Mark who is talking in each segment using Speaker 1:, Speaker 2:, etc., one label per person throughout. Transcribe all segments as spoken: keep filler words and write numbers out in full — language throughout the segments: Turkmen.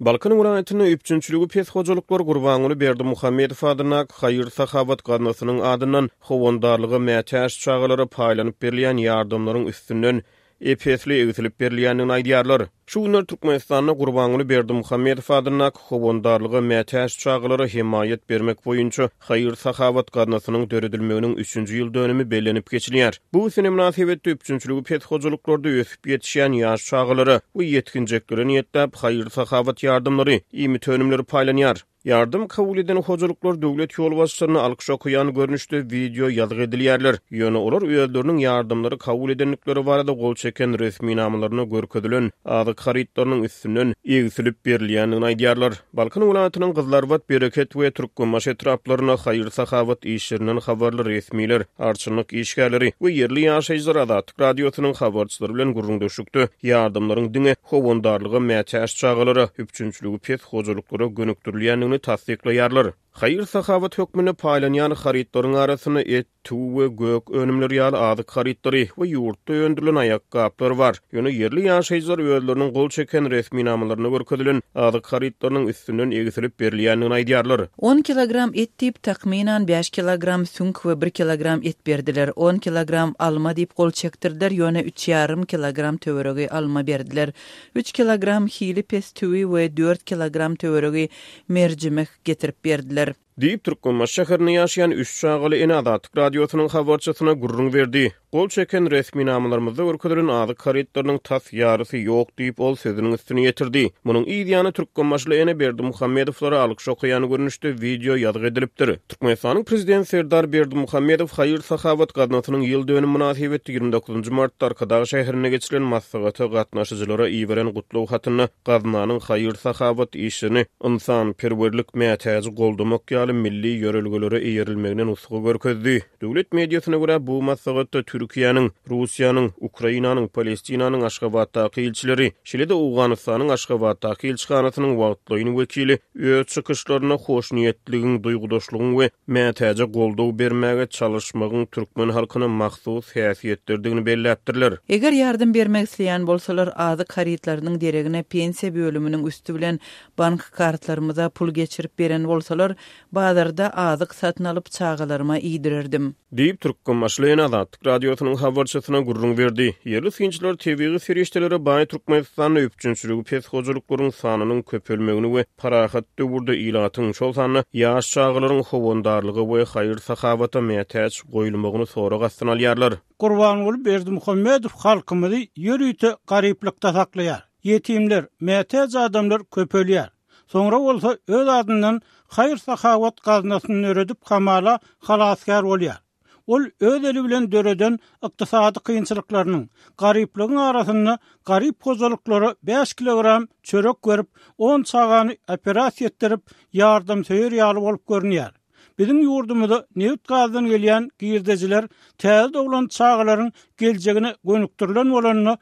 Speaker 1: Balkan welaýatynda üpjünçiligi pes hojalyklar Gurbanguly Berdimuhamedow adyndaky haýyr-sahawat gaznasynyň adyndan howandarlyga mätäç çagalara paýlanyp berilýän ýardamlaryň üstünden ep-esli egsilip berilýändigini aýdýarlar. Şu günler Türkmenistanda Gurbanguly Berdimuhamedow adyndaky howandarlyga mätäç çagalara hemaýat bermek boýunça haýyr-sahawat gaznasynyň döredilmeginiň üçünji ýyl dönümi bellenip geçilýär. Bu sene mynasybetli üpjünçiligi pes hojalyklarda ösüp ýetişýän ýaş çagalara we ýetginjeklere niýetläp haýyr-sahawat ýardamlary, iýmit önümleri paýlanýar. Ýardam kabul eden hojalyklar döwlet ýolbaşçylaryna alkyş okaýan görnüşde wideo ýazgy edilýärler. Ýöne olar özleriniň ýardamlary kabul edendikleri barada gol çeken resminamalarynda görkezilen azyk harytlarynyň üstünden egsilip berilýändigini aýdýarlar. Balkan welaýatynyň Gyzylarbat, Bereket we Türkmenbaşy etraplarynda haýyr-sahawat işlerinden habarly resmiler, arçynlyk işgärleri we ýerli ýaşaýjylar Azatlyk Radiosynyň habarçylary bilen gürrüňdeşlikde ýardamlaryň diňe howandarlyga mätäç çagalara, üpjünçiligi pes hojalyklara gönükdirilýändigini tassyklaýarlar. Haýyr-sahawat hökmünde paýlanýan harytlaryň arasynda et, tüwi we gök önümleri ýaly azyk harytlary we ýurtda öndürilen aýakgaplar bar. Ýöne ýerli ýaşaýjylar özleriniň gol çeken resminamalarynda görkezilen azyk harytlarynyň üstünden egsilip berilýändigini aýdýarlar.
Speaker 2: On kilogram et diýip, takmynan bäş kilogram süňk we bir kilogram et berdiler. On kilogram alma diýip gol çekdirdiler, ýöne üç ýarym kilogram töweregi alma berdiler. Üç kilogram hili pes tüwi we dört kilogram töweregi merjimek getirip berdiler.
Speaker 1: Diýip, Türkmenbaşy şäherinde ýaşaýan üç çagaly ene Azatlyk Radiosynyň habarçysyna gürrüň berdi. Gol çeken resminamalarymyzda görkezilen azyk harytlarynyň tas ýarysy ýok diýip, ol sözüniň üstüni ýetirdi. Munuň yz ýany türkmenbaşyly ene Berdimuhamedowlara alkyş okaýan görnüşde wideo ýazgy edilipdir. Türkmenistanyň Prezidenti Serdar Berdimuhamedow haýyr-sahawat gaznasynyň ýyl dönümi mynasybetli ýigrimi dokuzynjy martda Arkadag şäherinde geçirilen maslahata gatnaşyjylara iberen gutlag hatynda gaznanyň haýyr-sahawat işlerini ynsanperwerlik mätäji goldamak ýaly milli ýörelgelere eýerilmegine nusga görkezdi. Döwlet mediasyna görä, bu maslahatda Türkiýäniň, Russiýanyň, Ukrainanyň, Palestinanyň Aşgabatdaky ilçileri, şeýle-de Owganystanyň Aşgabatdaky ilçihanasynyň wagtlaýyn wekili öz çykyşlarynda hoşniýetligiň, duýgudaşlygyň we mätäje goldaw bermäge çalyşmagyň türkmen halkyna mahsus häsiýetlerdigini belläpdirler.
Speaker 2: Eger ýardam bermek isleýän bolsalar, azyk harytlarynyň deregine pensiýa bölüminiň üsti bilen bank kartlarymyza pul geçirip beren bolsalar, bazarda azyk satyn alyp çagalaryma iýdirerdim.
Speaker 1: Diýip, Türkmenbaşy ene Azatlyk Radiosynyň habarçysyna gürrüň berdi. Ýerli synçylar tebigy serişdelere baý Türkmenistanda üpjünçiligi pes hojalyklaryň sanynyň köpelmegini we parahat döwürde ilatyň, şol sanda ýaş çagalaryň howandarlyga we haýyr-sahawata mätäç goýulmagyny sorag astyna alýarlar.
Speaker 3: Gurbanguly Berdimuhamedow halkymyzy ýörite garyplykda saklaýar. Ýetimler, mätäç adamlar köpelýär. Soňra bolsa öz adyndan haýyr-sahawat gaznasyny döredip hamala halasgär bolýar. Ol öz eli bilen döreden ykdysady kynçylyklarynyň, garyplygyň arasynda garyp hojalyklara bäş kilogram çörek berip, on çagany operasiýa etdirip, ýardamsöýer ýaly bolup görünýär. Biziň ýurdumyza nebit-gazdan gelýän girdejiler täze doglan çagalaryň geljegine gönükdirilen bolanda,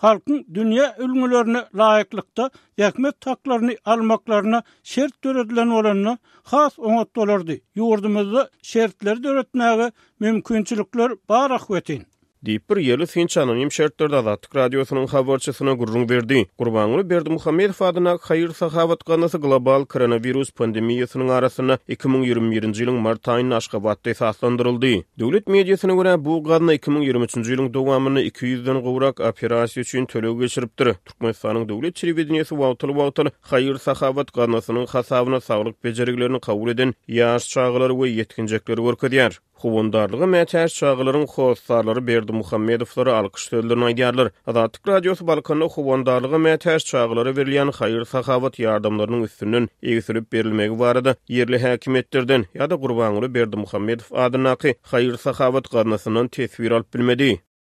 Speaker 3: halkyň dünýä ülňülerine laýyklykda zähmet haklaryny almaklaryna şert döredilen bolanda has oňat bolardy. Ýurdumyzda şertleri döretmäge mümkinçilikler bar ahbetin.
Speaker 1: Diýip, bir ýerli synçy anonim şertlerde Azatlyk Radiosynyň habarçysyna gürrüň berdi. Gurbanguly Berdimuhamedow adyndaky haýyr-sahawat gaznasy global koronawirus pandemiýasynyň arasynda iki müň ýigrimi birinji ýylyň mart aýynda Aşgabatda esaslandyryldy. Döwlet mediasyna görä, bu gazna iki müň ýigrimi üçünji ýylyň dowamynda iki ýüzden gowrak operasiýa üçin töleg geçiripdir. Türkmenistanyň döwlet telewideniýesi wagtal-wagtal haýyr-sahawat gaznasynyň hasabyna saglyk bejergilerini kabul eden ýaş çagalary we ýetginjekleri görkezýär. Howandarlyga mätäç çagalaryň hossarlary Berdimuhamedowlara alkyş sözlerini aýdýarlar. Azatlyk Radiosy Balkanda howandarlyga mätäç çagalara berilýän haýyr-sahawat ýardamlarynyň üstünden egsilip berilmegi barada ýerli häkimiýetlerden ýa-da Gurbanguly Berdimuhamedow adyndaky haýyr-sahawat gaznasyndan teswir alyp bilmedi.